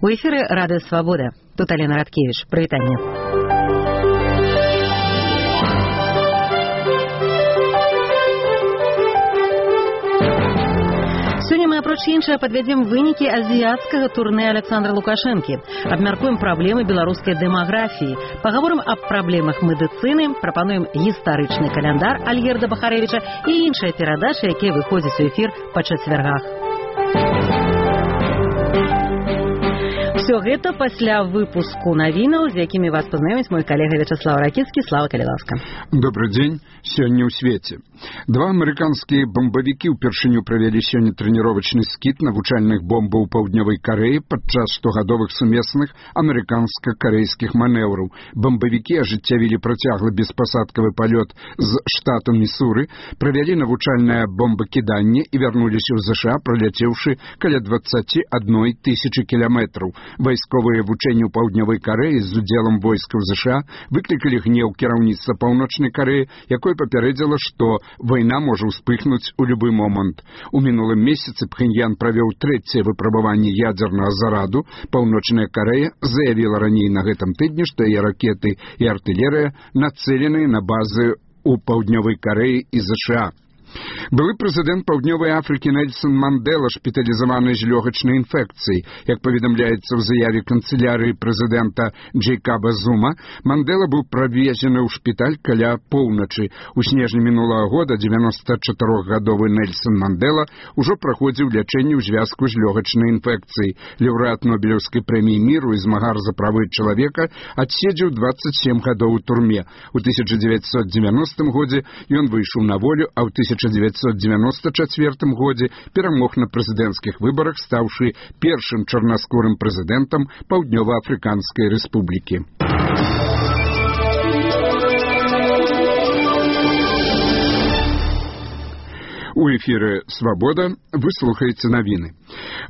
У эфіры Радыё Свабода. Тут Алена Радкевіч. Прывітанне. Сёння мы, апроч іншага, падвядзем вынікі азіяцкага турнэ Александра Лукашэнкі. Абмяркуем праблемы беларускай дэмаграфіі. Пагаворым аб праблемах медыцыны, прапануем гістарычны каляндар Альгерда Бахарэвіча і іншыя перадачы, якія выходзяць у эфір па чацвяргах. Все гэта пасля выпуску навінаў, з якімі вас пазнаёміць мой калега Вячаслав Ракіцкі. Слава, калі ласка. Добрый дзень. Сёння ў свеце. Два амерыканскія бомбавікі ўпершыню правялі сёння трэніровачны скід навучальных бомбаў паўднёвай Карэі падчас штогадовых сумесных амерыканска-карэйскіх манеўраў. Бомбавікі ажыццявілі працяглы беспасадкавы палёт з штату Місуры, правялі навучальнае бомбакіданне і вярнуліся ў ЗША, праляцеўшы каля 21 тысячы кіламетраў. Вайсковыя вучэнні ў паўднёвай Карэі з удзелам войскаў ЗША выклікалі гнеў кіраўніцтва паўночнай Карэі, якое папярэдзіла, што вайна можа ўспыхнуць у любы момант. У мінулым месяцы Пхеньян правёў трэцяе выпрабаванне ядзернага зараду. Паўночная Карэя заявіла раней на гэтым тыдні, што яе ракеты і артылерыя нацэленыя на базы ў паўднёвай Карэі і ЗША. Былы прэзідэнт Паўднёвай Афрыкі Нельсон Мандела шпіталізаваны з лёгачнай інфекцыяй. Як паведамляецца ў заяве канцылярыі прэзідэнта Джейкаба Зума, Мандела быў правезены ў шпіталь каля поўначы. У снежні мінулага года 94-гадовы Нельсон Мандела ўжо праходзіў лячэнне ў звязку з лёгачнай інфекцыяй. Лаўрэат Нобелеўскай прэміі міру і змагар за правы чалавека адседзеў 27 гадоў у турме. У 1990 годзе ён выйшаў на волю, а ў 1994 годзе перамог на прэзідэнцкіх выбарах, стаўшы першым чарнаскурым прэзідэнтам Паўднёва-Афрыканскай рэспублікі. У эфіры «Свабода» вы слухаеце навіны.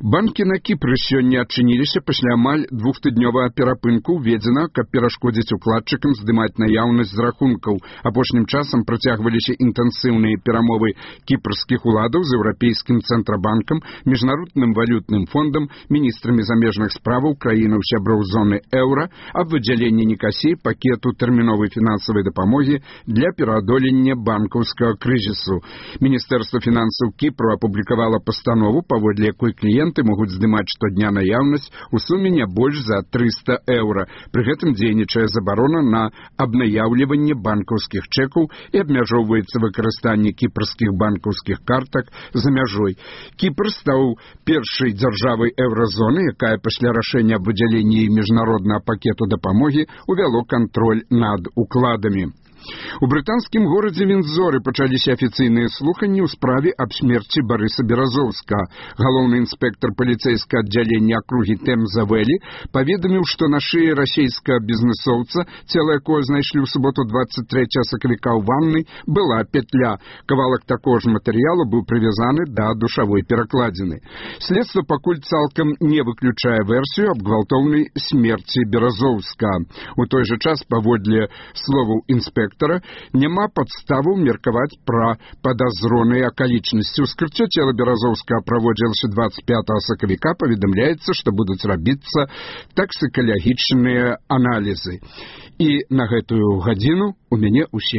Банкі на Кіпры сёння адчыніліся пасля амаль двухтыднёвага перапынку, уведзена, каб перашкодзіць укладчыкам здымаць наяўнасць з рахункаў. Апошнім часам працягваліся інтэнсіўныя перамовы кіпрскіх уладаў з Еўрапейскім цэнтрабанкам, Міжнародным валютным фондам, міністрамі замежных справаў краінаў-сяброў зоны еўра аб выдзяленні Нікасіі пакету тэрміновай фінансавай дапамогі для пераадолення банкаўскага крызісу. Міністэрства фінансаў Кіпру апублікавала пастанову, паводле якой кліенты могуць здымаць штодня наяўнасць у суме не больш за 300 еўра. Пры гэтым дзейнічае забарона на абнаяўліванне банкаўскіх чэкаў і абмяжоўваецца выкарыстанне кіпрскіх банкаўскіх картак за мяжой. Кіпр стаў першай дзяржавай еўразоны, якая пасля рашэння аб выдзяленні міжнароднага пакету дапамогі увяло кантроль над укладамі. У брытанскім горадзе Віндзоры пачаліся афіцыйныя слуханні ў справе аб смерці Барыса Беразоўскага. Галоўны інспектар паліцэйскага аддзялення акругі Тэмза-Вэлі паведаміў, што на шыі расейскага бізнэсоўца, цела якое знайшлі ў суботу 23 сакавіка ў ваннай, была петля. Кавалак такога ж матэрыялу быў прывязаны да душавой перакладзіны. Следства пакуль цалкам не выключае версію аб гвалтоўнай смерці Беразоўскага. У той жа час, паводле словаў інспектара, няма падставаў меркаваць пра падазроныя акалічнасці. Ускрыццё цела Беразоўскага праводзілася 25 сакавіка. Паведамляецца, што будуць рабіцца таксікалагічныя аналізы. І на гэтую гадзіну у мяне ўсе